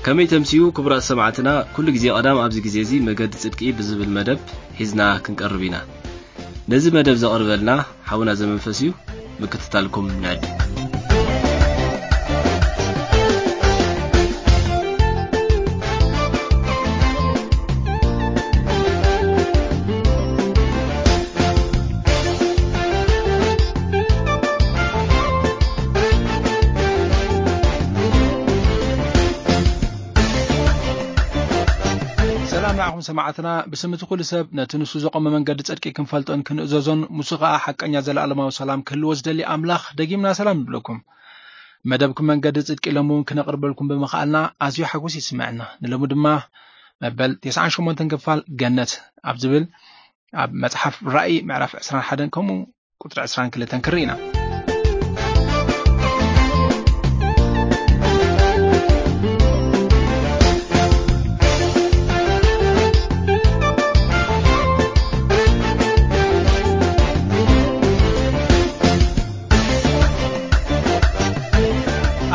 ከመይ ተምስዩ ክቡራት ሰማዕትና፣ ኩሉ ግዜ ቀዳም ኣብዚ ግዜ እዚ መገዲ ጽድቂ ብዝብል መደብ ሒዝና ክንቀርብ ኢና። ነዚ መደብ ዘቕርበልና ሓውና ዘመንፈስ እዩ። ምክትታልኩም ንዕድም። ሰላም ንዓኹም ሰማዕትና። ብስም እቲ ኩሉ ሰብ ነቲ ንሱ ዘቆመ መንገዲ ጽድቂ ክንፈልጦን ክንእዘዞን፣ ሙሱ ኸኣ ሓቀኛ ዘለኣለማዊ ሰላም ክህልዎ ዝደሊ ኣምላኽ ደጊምና ሰላም ንብለኩም። መደብኩም መንገዲ ጽድቂ ሎሚ እውን ክነቕርበልኩም ብምኽኣልና ኣዝዩ ሓጎስ ይስምዐና። ንሎሚ ድማ መበል ተስዓን ሸሞንተን ክፋል ገነት ኣብ ዝብል ኣብ መጽሓፍ ራእይ ምዕራፍ ዕስራን ሓደን ከምኡ ቁጽሪ ዕስራን ክልተን ክርኢ ኢና።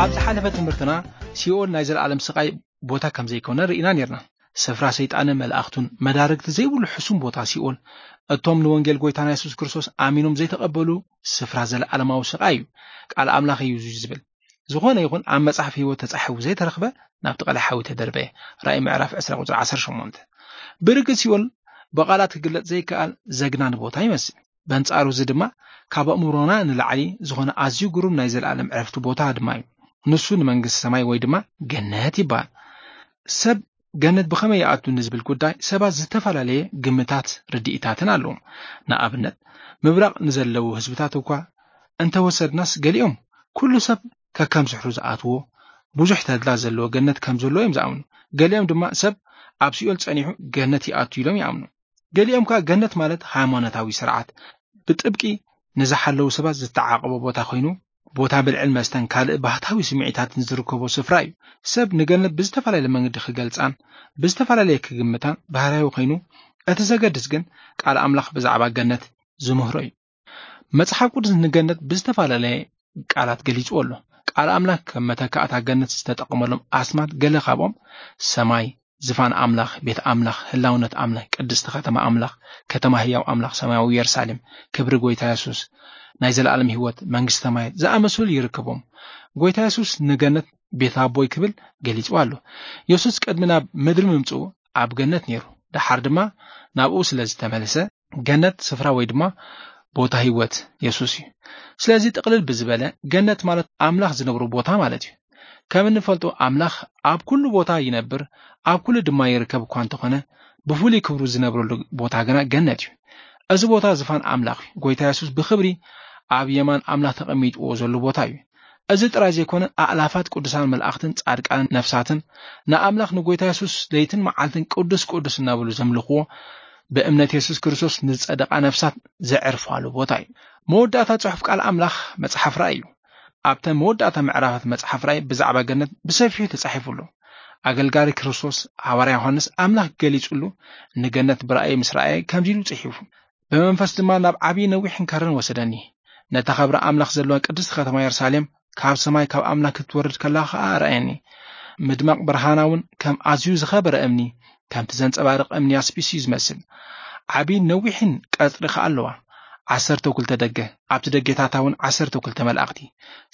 ኣብ ዝሓለፈ ትምህርትና ሲኦል ናይ ዘለኣለም ስቓይ ቦታ ከም ዘይኮነ ርኢና ነርና። ስፍራ ሰይጣንን መላእኽቱን፣ መዳርግቲ ዘይብሉ ሕሱም ቦታ ሲኦል፣ እቶም ንወንጌል ጎይታና የሱስ ክርስቶስ ኣሚኖም ዘይተቐበሉ ስፍራ ዘለኣለማዊ ስቓይ እዩ። ቃል ኣምላኽ እዩ እዚ ዝብል። ዝኾነ ይኹን ኣብ መጽሓፍ ህይወት ተጻሒፉ ዘይተረኽበ ናብቲ ቀላይ ሓዊ ተደርበየ። ራእይ ምዕራፍ ዕስራ ቁጽሪ ዓሰርተ ሸሞንተ። ብርግጽ ሲኦል ብቓላት ክግለጽ ዘይከኣል ዘግናኒ ቦታ ይመስል። በንጻሩ እዚ ድማ ካብ ኣእምሮና ንላዕሊ ዝኾነ ኣዝዩ ግሩም ናይ ዘለኣለም ዕረፍቲ ቦታ ድማ እዩ። ንሱ ንመንግስቲ ሰማይ ወይ ድማ ገነት ይበሃል። ሰብ ገነት ብኸመይ ይኣቱ ንዝብል ጉዳይ ሰባት ዝተፈላለየ ግምታት፣ ርድኢታትን ኣለዎም። ንኣብነት፣ ምብራቕ ንዘለዉ ህዝብታት እኳ እንተወሰድናስ፣ ገሊኦም ኩሉ ሰብ ከከም ስሕሩ ዝኣትዎ ብዙሕ ተድላ ዘለዎ ገነት ከም ዘሎ እዮም ዝኣምኑ። ገሊኦም ድማ ሰብ ኣብ ሲኦል ጸኒሑ ገነት ይኣቱ ኢሎም ይኣምኑ። ገሊኦም ከኣ ገነት ማለት ሃይማኖታዊ ስርዓት ብጥብቂ ንዝሓለዉ ሰባት ዝተዓቐቦ ቦታ ኮይኑ፣ ቦታ ብልዕን መስተን ካልእ ባህታዊ ስምዒታትን ዝርከቦ ስፍራ እዩ። ሰብ ንገነት ብዝተፈላለየ መንገዲ ክገልጻን ብዝተፈላለየ ክግምታን ባህርያዊ ኮይኑ፣ እቲ ዘገድስ ግን ቃል ኣምላኽ ብዛዕባ ገነት ዝምህሮ እዩ። መጽሓፍ ቅዱስ ንገነት ብዝተፈላለየ ቃላት ገሊጽዎ ኣሎ። ቃል ኣምላኽ ከም መተካእታ ገነት ዝተጠቐመሎም ኣስማት ገለ ካብኦም ሰማይ፣ ዝፋን ኣምላኽ፣ ቤት ኣምላኽ፣ ህላውነት ኣምላኽ፣ ቅድስቲ ከተማ ኣምላኽ፣ ከተማ ህያው ኣምላኽ፣ ሰማያዊ የሩሳሌም፣ ክብሪ ጎይታ የሱስ፣ ናይ ዘለኣለም ህይወት፣ መንግስቲ ሰማያት ዝኣመሰሉ ይርከቦም። ጎይታ የሱስ ንገነት ቤት ኣቦይ ክብል ገሊጽዋ ኣሎ። የሱስ ቅድሚ ናብ ምድሪ ምምጽኡ ኣብ ገነት ነይሩ። ደሓር ድማ ናብኡ ስለ ዝተመለሰ፣ ገነት ስፍራ ወይ ድማ ቦታ ህይወት የሱስ እዩ። ስለዚ ጥቕልል ብዝበለ፣ ገነት ማለት ኣምላኽ ዝነብሮ ቦታ ማለት እዩ። ከም እንፈልጦ፣ ኣምላኽ ኣብ ኩሉ ቦታ ይነብር፣ ኣብ ኩሉ ድማ ይርከብ እኳ እንተኾነ፣ ብፍሉይ ክብሩ ዝነብረሉ ቦታ ግና ገነት እዩ። እዚ ቦታ ዝፋን ኣምላኽ እዩ። ጎይታ የሱስ ብኽብሪ ኣብ የማን ኣምላኽ ተቐሚጥዎ ዘሎ ቦታ እዩ። እዚ ጥራይ ዘይኮነ፣ ኣእላፋት ቅዱሳን መላእኽትን ጻድቃንን ነፍሳትን ንኣምላኽ ንጎይታ የሱስ ለይትን መዓልትን ቅዱስ ቅዱስ እናበሉ ዘምልኽዎ፣ ብእምነት የሱስ ክርስቶስ ንዝጸደቓ ነፍሳት ዘዕርፋሉ ቦታ እዩ። መወዳእታ ጽሑፍ ቃል ኣምላኽ መጽሓፍ ራእይ እዩ። ኣብተን መወዳእታ ምዕራፋት መጽሓፍ ራእይ ብዛዕባ ገነት ብሰፊሑ ተጻሒፉ ኣሎ። ኣገልጋሊ ክርስቶስ ሃዋርያ ዮሃንስ ኣምላኽ ገሊጹሉ ንገነት ብራእይ ምስ ረኣየ ከምዚ ኢሉ ጽሒፉ፣ "ብመንፈስ ድማ ናብ ዓብዪ ነዊሕን ከርን ወሰደኒ። ነታ ኸብሪ ኣምላኽ ዘለዋ ቅድስቲ ከተማ የሩሳሌም ካብ ሰማይ ካብ ኣምላኽ ክትወርድ ከላ ኸኣ ረኣየኒ። ምድማቕ ብርሃና እውን ከም ኣዝዩ ዝኸበረ እምኒ፣ ከምቲ ዘንጸባርቕ እምኒ ያስጲስ እዩ ዝመስል። ዓብዪን ነዊሕን ቀጽሪ ኸኣ ኣለዋ። ዓሰርተ ክልተ ደገ፣ ኣብቲ ደጌታታ እውን ዓሰርተ ክልተ መላእኽቲ።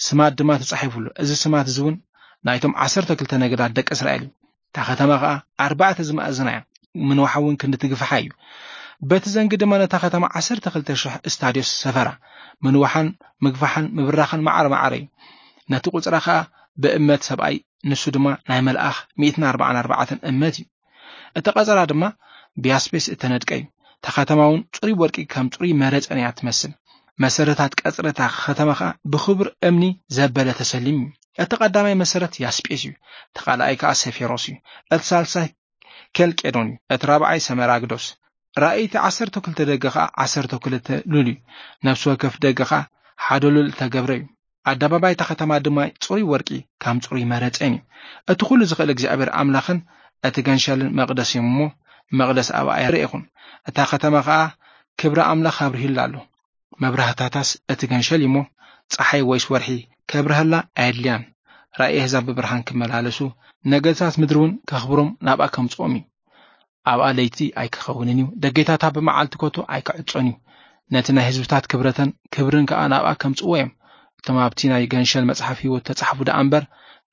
ስማት ድማ ተጻሒፉሉ። እዚ ስማት እዚ እውን ናይቶም ዓሰርተ ክልተ ነገዳት ደቂ እስራኤል እዩ። እታ ከተማ ኸኣ ኣርባዕተ ዝመኣዝና እያ። ምንዋሓ እውን ክንዲ ትግፍሓ እዩ። በቲ ዘንጊ ድማ ነታ ከተማ ዓሰርተ ክልተ ሽሕ እስታድዮስ ሰፈራ። ምንዋሓን ምግፋሕን ምብራኽን ማዕረ ማዕረ እዩ። ነቲ ቁጽራ ኸኣ ብእመት ሰብኣይ፣ ንሱ ድማ ናይ መልኣኽ ሚእትን ኣርባዓን ኣርባዕተን እመት እዩ። እቲ ቀጸራ ድማ ብያስፔስ እተነድቀ እዩ። እታ ከተማ እውን ጽሩይ ወርቂ ከም ጽሩይ መረጸን እያ ትመስል። መሰረታት ቀጽሪ እታ ከተማ ኸኣ ብኽቡር እምኒ ዘበለ ተሰሊሙ እዩ። እቲ ቀዳማይ መሰረት ያስጴስ እዩ፣ እቲ ካልኣይ ከኣ ሰፌሮስ እዩ፣ እቲ ሳልሳይ ኬልቄዶን እዩ፣ እቲ ራብዓይ ሰመራግዶስ። ራእይቲ ዓሰርተ ክልተ ደገ ኸኣ ዓሰርተ ክልተ ሉል እዩ፣ ነፍሲ ወከፍ ደገ ኸኣ ሓደ ሉል እተገብረ እዩ። ኣደባባይ እታ ከተማ ድማ ጽሩይ ወርቂ ከም ጽሩይ መረጼን እዩ። እቲ ኩሉ ዝኽእል እግዚኣብሔር ኣምላኽን እቲ ገንሸልን መቕደስ እዮም እሞ፣ መቕደስ ኣብኣ ኣይረኤኹን። እታ ከተማ ኸኣ ክብሪ ኣምላኽ ኣብሪሁላ ኣሎ። መብራህታታስ እቲ ገንሸል እዩ እሞ፣ ጸሓይ ወይስ ወርሒ ከብርሃላ ኣየድልያን። ራእይ ኣህዛብ ብብርሃን ክመላለሱ፣ ነገስታት ምድሪ እውን ከኽብሮም ናብኣ ከምጽኦም እዩ። ኣብኣ ለይቲ ኣይክኸውንን እዩ፣ ደጌታታ ብመዓልቲ ኮቶ ኣይክዕጾን እዩ። ነቲ ናይ ህዝብታት ክብረተን ክብርን ከኣ ናብኣ ከምጽእዎ እዮም። እቶም ኣብቲ ናይ ገንሸል መጽሓፍ ህይወት ተጻሕፉ ደኣ እምበር፣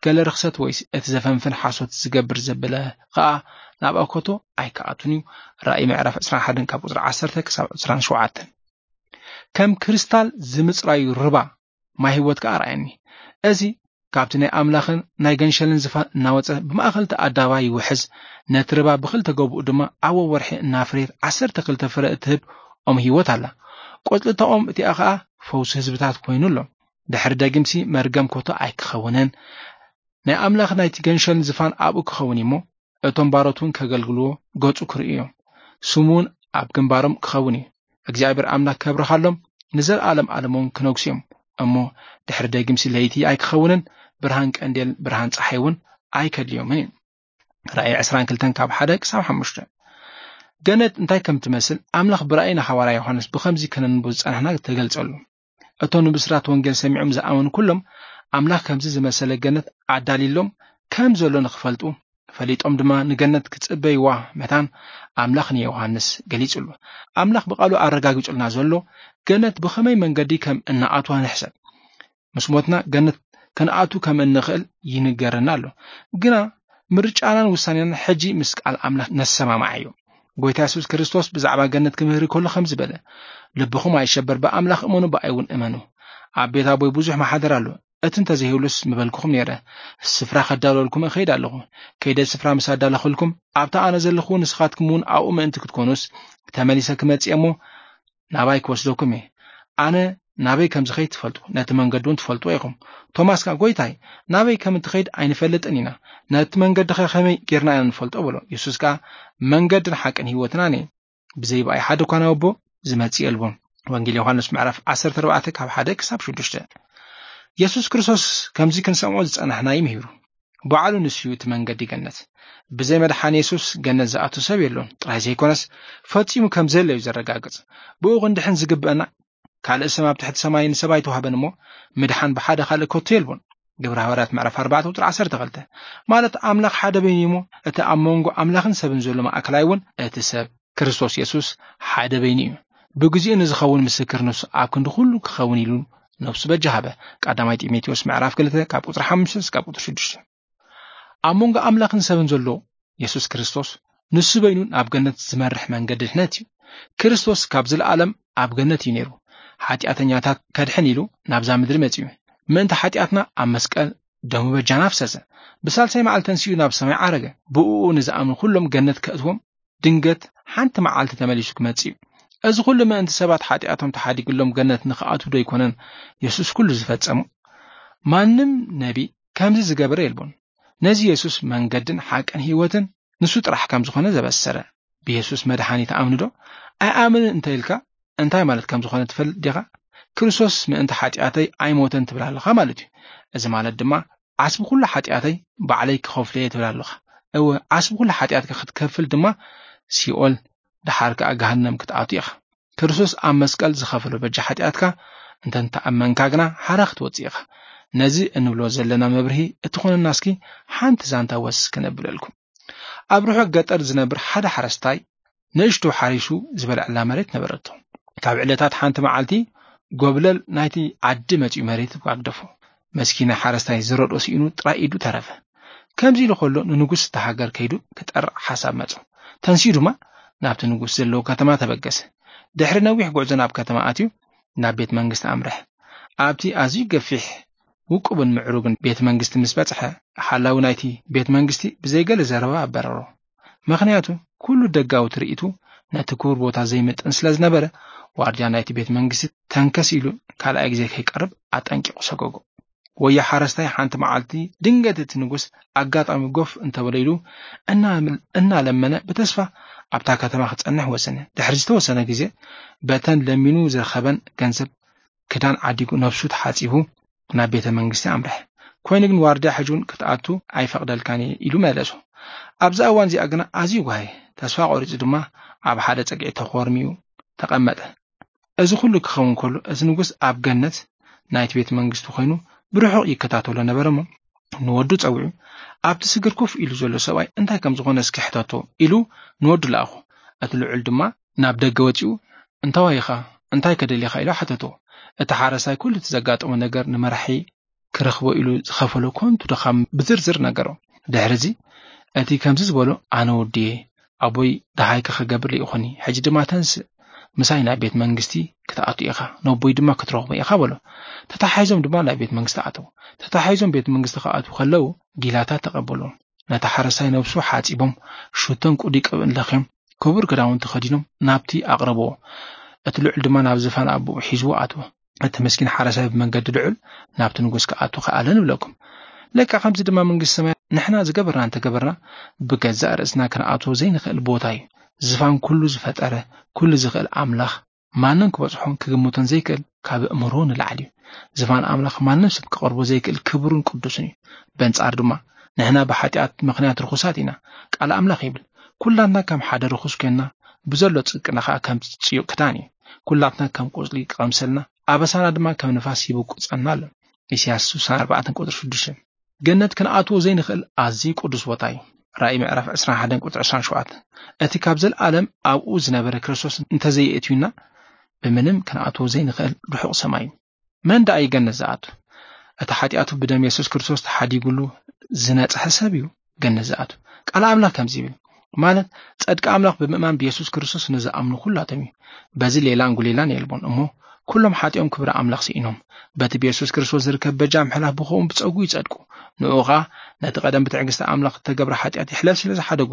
ገለ ርኽሰት ወይስ እቲ ዘፈንፍን ሓሶት ዝገብር ዘበለ ከኣ ናብኣ ኮቶ ኣይክኣቱን እዩ። ራእይ ምዕራፍ ዕስራን ሓደን ካብ ቁጽሪ ዓሰርተ ክሳብ ዕስራን ሸውዓተን። ከም ክሪስታል ዝምጽራዩ ርባ ማይ ህይወት ከኣ ረኣየኒ። እዚ ካብቲ ናይ ኣምላኽን ናይ ገንሸልን ዝፋን እናወጸ ብማእከል እቲ ኣደባባይ ይውሕዝ። ነቲ ርባ ብኽልተ ገቡኡ ድማ ኣብ ወርሒ እናፍረየት ዓሰርተ ክልተ ፍረ እትህብ ኦም ህይወት ኣላ። ቆጽሊ እታ ኦም እቲኣ ኸኣ ፈውሲ ህዝብታት ኮይኑ ኣሎ። ድሕሪ ደጊምሲ መርገም ኮቶ ኣይክኸውንን። ናይ ኣምላኽ ናይቲ ገንሸልን ዝፋን ኣብኡ ክኸውን እዩ እሞ፣ እቶም ባሮት እውን ከገልግልዎ ገጹ ክርእዩ እዮም። ስሙ እውን ኣብ ግንባሮም ክኸውን እዩ። እግዚኣብሔር ኣምላኽ ከብርኻሎም፣ ንዘለኣለም ኣለም እውን ክነግሱ እዮም። እሞ ድሕሪ ደጊምሲ ለይቲ ኣይክኸውንን፣ ብርሃን ቀንዴል፣ ብርሃን ጸሓይ እውን ኣይከድልዮምን እዩ። ራእይ ዕስራን ክልተን ካብ ሓደ ክሳብ ሓሙሽተ። ገነት እንታይ ከም ትመስል ኣምላኽ ብራእይ ንሓዋርያ ዮሃንስ ብኸምዚ ከነንቡ ዝጸናሕና ተገልጸሉ። እቶም ንብስራት ወንጌል ሰሚዖም ዝኣመኑ ኩሎም ኣምላኽ ከምዚ ዝመሰለ ገነት ኣዳልይሎም ከም ዘሎ ንኽፈልጡ፣ ፈሊጦም ድማ ንገነት ክጽበይዋ መታን ኣምላኽ ንዮሃንስ ገሊጹሉ። ኣምላኽ ብቓሉ ኣረጋጊጹልና ዘሎ ገነት ብኸመይ መንገዲ ከም እንኣትዋ ንሕሰብ። ምስ ሞትና ገነት ክንኣቱ ከም እንኽእል ይንገረና ኣሎ። ግና ምርጫናን ውሳኔናን ሕጂ ምስ ቃል ኣምላኽ ነሰማማዕ እዩ። ጎይታ የሱስ ክርስቶስ ብዛዕባ ገነት ክምህር ከሎ ከምዚ በለ፣ ልብኹም ኣይሸበር፣ ብኣምላኽ እመኑ፣ ብኣይ እውን እመኑ። ኣብ ቤት ኣቦይ ብዙሕ ማሓደር ኣሎ። እቲ እንተዘይህሉስ ምበልኩኹም ነይረ። ስፍራ ከዳለወልኩም እኸይድ ኣለኹ። ከይደ ስፍራ ምስ ኣዳለኹልኩም፣ ኣብታ ኣነ ዘለኹ ንስኻትኩም እውን ኣብኡ ምእንቲ ክትኮኑስ፣ ተመሊሰ ክመጽእ እሞ ናባይ ክወስደኩም እየ። ኣነ ናበይ ከም ዝኸይድ ትፈልጡ፣ ነቲ መንገዲ እውን ትፈልጡ ኢኹም። ቶማስ ከኣ፣ ጎይታይ፣ ናበይ ከም እትኸይድ ኣይንፈልጥን ኢና። ነቲ መንገዲ ኸ ከመይ ጌርና ኢና ንፈልጦ? በሎ። የሱስ ከኣ፣ መንገድን ሓቅን ህይወትን ኣነ እየ። ብዘይ ብኣይ ሓደ እኳ ናብ ኣቦ ዝመጽእ የልቦን። ወንጌል ዮሃንስ ምዕራፍ ዓሰርተ ኣርባዕተ ካብ ሓደ ክሳብ ሽዱሽተ። የሱስ ክርስቶስ ከምዚ ክንሰምዖ ዝጸናሕና እዩ ምሂሩ። ባዕሉ ንሱ እዩ እቲ መንገዲ ገነት። ብዘይ መድሓን የሱስ ገነት ዝኣቱ ሰብ የሎን ጥራይ ዘይኮነስ፣ ፈጺሙ ከም ዘየለ እዩ ዘረጋግጽ። ብኡ ክንድሕን ዝግብአና ካልእ ስም ኣብ ትሕቲ ሰማይ ንሰብ ኣይተዋህበን እሞ፣ ምድሓን ብሓደ ካልእ ከቶ የልቦን። ግብረ ሃዋርያት ምዕራፍ ኣርባዕተ ቁጽሪ ዓሰርተ ክልተ። ማለት ኣምላኽ ሓደ በይኑ እዩ እሞ፣ እቲ ኣብ መንጎ ኣምላኽን ሰብን ዘሎ ማእከላይ እውን እቲ ሰብ ክርስቶስ የሱስ ሓደ በይኑ እዩ። ብግዚኡ ንዝኸውን ምስክር ንሱ ኣብ ክንዲ ኩሉ ክኸውን ኢሉ ነፍሱ በጃ ሃበ። ቀዳማይ ጢሞቴዎስ ምዕራፍ ክልተ ካብ ቁጽሪ ሓሙሽተ እስካብ ቁጽሪ ሽዱሽተ። ኣብ መንጎ ኣምላኽን ሰብን ዘሎ የሱስ ክርስቶስ ንሱ በይኑ ናብ ገነት ዝመርሕ መንገዲ ድሕነት እዩ። ክርስቶስ ካብ ዘለኣለም ኣብ ገነት እዩ ነይሩ። ሓጢኣተኛታት ከድሕን ኢሉ ናብዛ ምድሪ መጺኡ። ምእንቲ ሓጢኣትና ኣብ መስቀል ደሙ በጃና ኣፍሰሰ። ብሳልሳይ መዓልቲ ተንሲኡ ናብ ሰማይ ዓረገ። ብእኡ ንዝኣምኑ ኩሎም ገነት ከእትዎም ድንገት ሓንቲ መዓልቲ ተመሊሱ ክመጽእ እዩ። እዚ ኩሉ ምእንቲ ሰባት ሓጢኣቶም ተሓዲግሎም ገነት ንኽኣትዉ ዶ ኣይኮነን የሱስ ኩሉ ዝፈጸሙ? ማንም ነቢ ከምዚ ዝገበረ የልቦን። ነዚ የሱስ መንገድን ሓቅን ህይወትን ንሱ ጥራሕ ከም ዝኾነ ዘበሰረ። ብየሱስ መድሓኒ ትኣምኒ ዶ? ኣይኣምንን እንተ ኢልካ እንታይ ማለት ከም ዝኾነ ትፈልጥ ዲኻ? ክርስቶስ ምእንቲ ሓጢኣተይ ኣይሞተን ትብል ኣለኻ ማለት እዩ። እዚ ማለት ድማ ዓስቢ ኩሉ ሓጢኣተይ ባዕለይ ክኸፍሎ እየ ትብል ኣለኻ። እወ፣ ዓስቢ ኩሉ ሓጢኣትካ ክትከፍል ድማ ሲኦል፣ ደሓር ከኣ ገሃነም ክትኣቱ ኢኻ። ክርስቶስ ኣብ መስቀል ዝኸፈሎ በጃ ሓጢኣትካ እንተ እንተኣመንካ ግና ሓራ ክትወጽእ ኢኻ። ነዚ እንብሎ ዘለና መብርሂ እትኾነና እስኪ ሓንቲ ዛንታ ወስ ክነብለልኩም። ኣብ ርሑቕ ገጠር ዝነብር ሓደ ሓረስታይ ንእሽቶ ሓሪሱ ዝበልዐላ መሬት ነበረቶ። ካብ ዕለታት ሓንቲ መዓልቲ ጎብለል ናይቲ ዓዲ መጺኡ መሬት ኣግደፎ። መስኪን ሓረስታይ ዝረድኦ ስኢኑ ጥራይ ኢዱ ተረፈ። ከምዚ ኢሉ ከሎ ንንጉስ እታ ሃገር ከይዱ ክጠርዕ ሓሳብ መጾ። ተንሲኡ ድማ ናብቲ ንጉስ ዘለዎ ከተማ ተበገሰ። ድሕሪ ነዊሕ ጉዕዞ ናብ ከተማ ኣትዩ ናብ ቤት መንግስቲ ኣምርሐ። ኣብቲ ኣዝዩ ገፊሕ ውቁብን ምዕሩግን ቤት መንግስቲ ምስ በጽሐ፣ ሓላዊ ናይቲ ቤት መንግስቲ ብዘይገለ ዘረባ ኣበረሮ። ምኽንያቱ ኩሉ ደጋዊ ትርኢቱ ነቲ ክቡር ቦታ ዘይምጥን ስለ ዝነበረ፣ ዋርድያ ናይቲ ቤት መንግስቲ ተንከስ ኢሉ ካልኣይ ግዜ ከይቀርብ ኣጠንቂቑ ሰጎጎ። ወዮ ሓረስታይ ሓንቲ መዓልቲ ድንገት እቲ ንጉስ ኣጋጣሚ ጎፍ እንተበለ ኢሉ እናመል-፣ እናለመነ ብተስፋ ኣብታ ከተማ ክጸንሕ ወሰነ። ድሕሪ ዝተወሰነ ግዜ በተን ለሚኑ ዝረኸበን ገንዘብ ክዳን ዓዲጉ ነብሱ ተሓጺቡ ናብ ቤተ መንግስቲ ኣምርሐ። ኮይኑ ግን ዋርድያ ሕጂ እውን ክትኣቱ ኣይፈቕደልካን እየ ኢሉ መለሶ። ኣብዛ እዋን እዚኣ ግና ኣዝዩ ጓሂ፣ ተስፋ ቆሪጹ ድማ ኣብ ሓደ ጸግዒ ተኾርሚዩ ተቐመጠ። እዚ ኩሉ ክኸውን ከሎ እቲ ንጉስ ኣብ ገነት ናይቲ ቤት መንግስቲ ኮይኑ ብርሑቕ ይከታተሎ ነበረ እሞ ንወዱ ጸዊዑ፣ "ኣብቲ ስግር ኮፍ ኢሉ ዘሎ ሰብኣይ እንታይ ከም ዝኾነ እስኪ ሕተቶ" ኢሉ ንወዱ ለኣኹ። እቲ ልዑል ድማ ናብ ደገ ወጺኡ፣ "እንታዋይ ኢኻ? እንታይ ከደልየኻ?" ኢሉ ሓተቶ። እቲ ሓረሳይ ኩሉ እቲ ዘጋጠሞ ነገር ንመራሒ ክረኽቦ ኢሉ ዝኸፈሎ ከንቱ ድኻም ብዝርዝር ነገሮ። ድሕሪ እዚ፣ እቲ ከምዚ ዝበሎ፣ "ኣነ ወድየ፣ ኣቦይ ደሃይካ ክገብር ልኢኹኒ። ሕጂ ድማ ተንስእ፣ ምሳይ ናብ ቤት መንግስቲ ክትኣቱ ኢኻ፣ ነቦይ ድማ ክትረኽቦ ኢኻ" በሎ። ተታሓሒዞም ድማ ናብ ቤት መንግስቲ ኣተዉ። ተታሓሒዞም ቤት መንግስቲ ክኣትዉ ከለዉ፣ ጊላታት ተቐበልዎም። ነቲ ሓረሳይ ነብሱ ሓጺቦም፣ ሽቶን ቅዱይ ቅብእን ለኽዮም፣ ክቡር ክዳውንቲ ከዲኖም ናብቲ ኣቕረብዎ። እቲ ልዑል ድማ ናብ ዝፋን ኣቦኡ ሒዝዎ ኣትወ። እቲ ምስኪን ሓረሳይ ብመንገዲ ልዑል ናብቲ ንጉስ ክኣቱ ከኣለ ንብለኩም። ለካ ከምዚ ድማ መንግስቲ ሰማይ ንሕና ዝገበርና እንተገበርና፣ ብገዛእ ርእስና ክንኣትዎ ዘይንኽእል ቦታ እዩ። ዝፋን ኩሉ ዝፈጠረ፣ ኩሉ ዝኽእል ኣምላኽ ማንም ክበጽሖን ክግምቶን ዘይክእል ካብ ኣእምሮ ንላዕሊ እዩ። ዝፋን ኣምላኽ ማንም ሰብ ክቐርቦ ዘይክእል ክቡርን ቅዱስን እዩ። በንጻር ድማ ንሕና ብሓጢኣት ምኽንያት ርኹሳት ኢና። ቃል ኣምላኽ ይብል፣ "ኩላትና ከም ሓደ ርኹስ ኮይንና፣ ብዘሎ ጽድቅና ከኣ ከም ጽዩቕ ክዳን እዩ። ኩላትና ከም ቆጽሊ ክቐምሰልና፣ ኣበሳና ድማ ከም ንፋስ ይብቁጸና ኣሎ።" ኢሳያስ ስሳን ኣርባዕተን ቁጽሪ ሽዱሽተ። ገነት ክንኣትዎ ዘይንኽእል ኣዝዩ ቅዱስ ቦታ እዩ። ራእይ ምዕራፍ ዕስራን ሓደን ቁጽሪ ዕስራን ሸውዓተን። እቲ ካብ ዘለኣለም ኣብኡ ዝነበረ ክርስቶስ እንተዘየእትዩና፣ ብምንም ክንኣትዎ ዘይንኽእል ርሑቕ ሰማይ እዩ። መን ደኣ እዩ ገነት ዝኣቱ? እቲ ሓጢኣቱ ብደም የሱስ ክርስቶስ ተሓዲጉሉ ዝነጽሐ ሰብ እዩ ገነት ዝኣቱ። ቃል ኣምላኽ ከምዚ ይብል፣ ማለት፣ "ጸድቂ ኣምላኽ ብምእማን ብየሱስ ክርስቶስ ንዝኣምኑ ኩላቶም እዩ። በዚ ሌላን ጉሌላን የልቦን እሞ፣ ኩሎም ሓጢኦም ክብሪ ኣምላኽ ስኢኖም፣ በቲ ብየሱስ ክርስቶስ ዝርከብ በጃ ምሕላፍ ብኸምኡ ብጸጉ ይጸድቁ። ንኡ ኸኣ ነቲ ቀደም ብትዕግስቲ ኣምላኽ እተገብረ ሓጢኣት ይሕለፍ ስለ ዝሓደጉ፣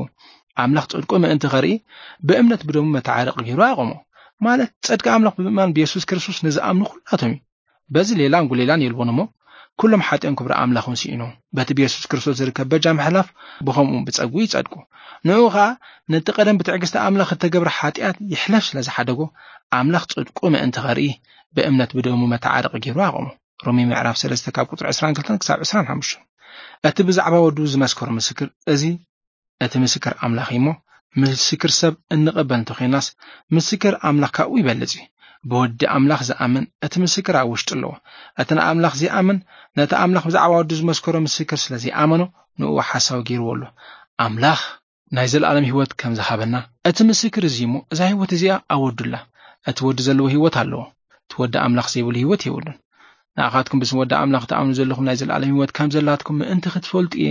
ኣምላኽ ጽድቁ ምእንቲ ኸርኢ፣ ብእምነት ብደሙ መተዓረቂ ገይሩ ኣቆሞ።" ማለት፣ ጸድቂ ኣምላኽ ብምእማን ብየሱስ ክርስቶስ ንዝኣምኑ ኩላቶም እዩ። በዚ ሌላን ጉሌላን የልቦን እሞ፣ ኩሎም ሓጢኦም ክብሪ ኣምላኽን ስኢኖም፣ በቲ ብየሱስ ክርስቶስ ዝርከብ በጃ ምሕላፍ ብኸምኡ ብጸጉ ይጸድቁ። ንኡ ኸኣ ነቲ ቀደም ብትዕግስቲ ኣምላኽ እተገብረ ሓጢኣት ይሕለፍ ስለ ዝሓደጎ፣ ኣምላኽ ጽድቁ ምእንቲ ኸርኢ፣ ብእምነት ብደሙ መተዓረቂ ገይሩ ኣቆሞ። ሮሜ ምዕራፍ ሰለስተ ካብ ቁጽሪ ዕስራን ክልተን ክሳብ ዕስራን ሓሙሽተን። እቲ ብዛዕባ ወዱ ዝመስከሮ ምስክር እዚ እቲ ምስክር ኣምላኽ እዩ እሞ፣ ምስክር ሰብ እንቕበል እንተኾይናስ፣ ምስክር ኣምላኽ ካብኡ ይበልጽ እዩ። ብወዲ ኣምላኽ ዝኣምን እቲ ምስክር ኣብ ውሽጡ ኣለዎ። እቲ ንኣምላኽ ዘይኣምን፣ ነቲ ኣምላኽ ብዛዕባ ወዱ ዝመስከሮ ምስክር ስለ ዘይኣመኖ፣ ንእኡ ሓሳዊ ገይርዎ ኣሎ። ኣምላኽ ናይ ዘለኣለም ህይወት ከም ዝሃበና፣ እቲ ምስክር እዚ እሞ፣ እዛ ህይወት እዚኣ ኣብ ወዱ ኣላ። እቲ ወዲ ዘለዎ ህይወት ኣለዎ። እቲ ወዲ ኣምላኽ ዘይብሉ ህይወት የብሉን። ንኣኻትኩም ብስም ወዲ ኣምላኽ ትኣምኑ ዘለኹም ናይ ዘለኣለም ህይወት ከም ዘላትኩም ምእንቲ ክትፈልጡ እየ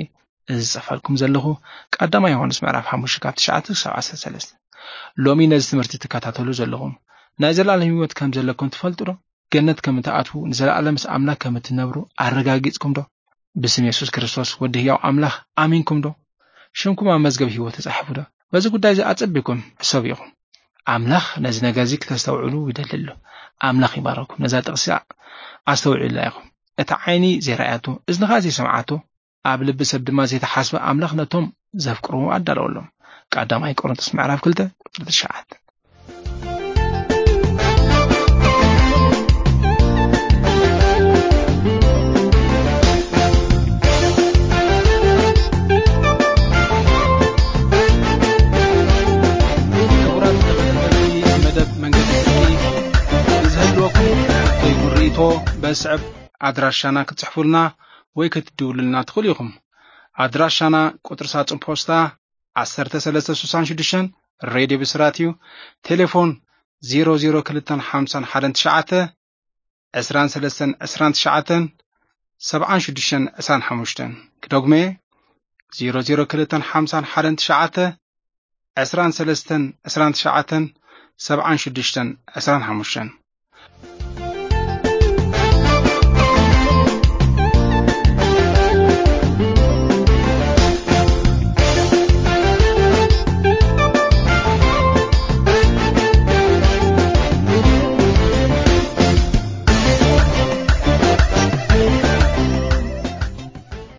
እዚ ዝጽፈልኩም ዘለኹ። ቀዳማይ ዮሃንስ ምዕራፍ ሓሙሽተ ካብ ትሽዓተ ክሳብ ዓሰርተ ሰለስተ። ሎሚ ነዚ ትምህርቲ ትከታተሉ ዘለኹም ናይ ዘለኣለም ህይወት ከም ዘለኩም ትፈልጡ ዶ? ገነት ከም እትኣትዉ፣ ንዘለኣለም ምስ ኣምላኽ ከም እትነብሩ ኣረጋጊጽኩም ዶ? ብስም የሱስ ክርስቶስ ወዲ ህያው ኣምላኽ ኣሚንኩም ዶ? ሽምኩም ኣብ መዝገብ ህይወት ተጻሒፉ ዶ? በዚ ጉዳይ እዚ ኣጸቢኩም ሕሰቡ ኢኹም። ኣምላኽ ነዚ ነገር እዚ ክተስተውዕሉ ይደሊ ኣሎ። ኣምላኽ ይባረኩም። ነዛ ጥቕሲ ኣስተውዕሉላ ኢኹም። እታ ዓይኒ ዘይረኣያቶ፣ እዝኒ ኸኣ ዘይሰምዓቶ፣ ኣብ ልቢ ሰብ ድማ ዘይተሓስበ ኣምላኽ ነቶም ዘፍቅርዎ ኣዳለወሎም። ቀዳማይ ቆሮንቶስ ምዕራፍ ክልተ ቁጽሪ ትሽዓተ። ክቡራት ተኸታተልቲ መደብ መንገዲ ጽድቂ፣ ንዝህልወኩም ሕቶ ይኹን ርእይቶ በስዕብ ኣድራሻና ክትጽሕፉልና ወይ ክትድውሉልና ትኽእሉ ኢኹም። ኣድራሻና ቁጽሪ ሳጹን ፖስታ ዓሰርተ ሰለስተ ስሳን ሽዱሽተን ሬድዮ ብስራት እዩ። ቴሌፎን ዜሮ ዜሮ ክልተን ሓምሳን ሓደን ትሽዓተ፣ ዕስራን ሰለስተን ዕስራን ትሽዓተን፣ ሰብዓን ሽዱሽተን ዕስራን ሓሙሽተን። ክደግሞ እየ፣ ዜሮ ዜሮ ክልተን ሓምሳን ሓደን ትሽዓተ፣ ዕስራን ሰለስተን ዕስራን ትሽዓተን፣ ሰብዓን ሽዱሽተን ዕስራን ሓሙሽተን።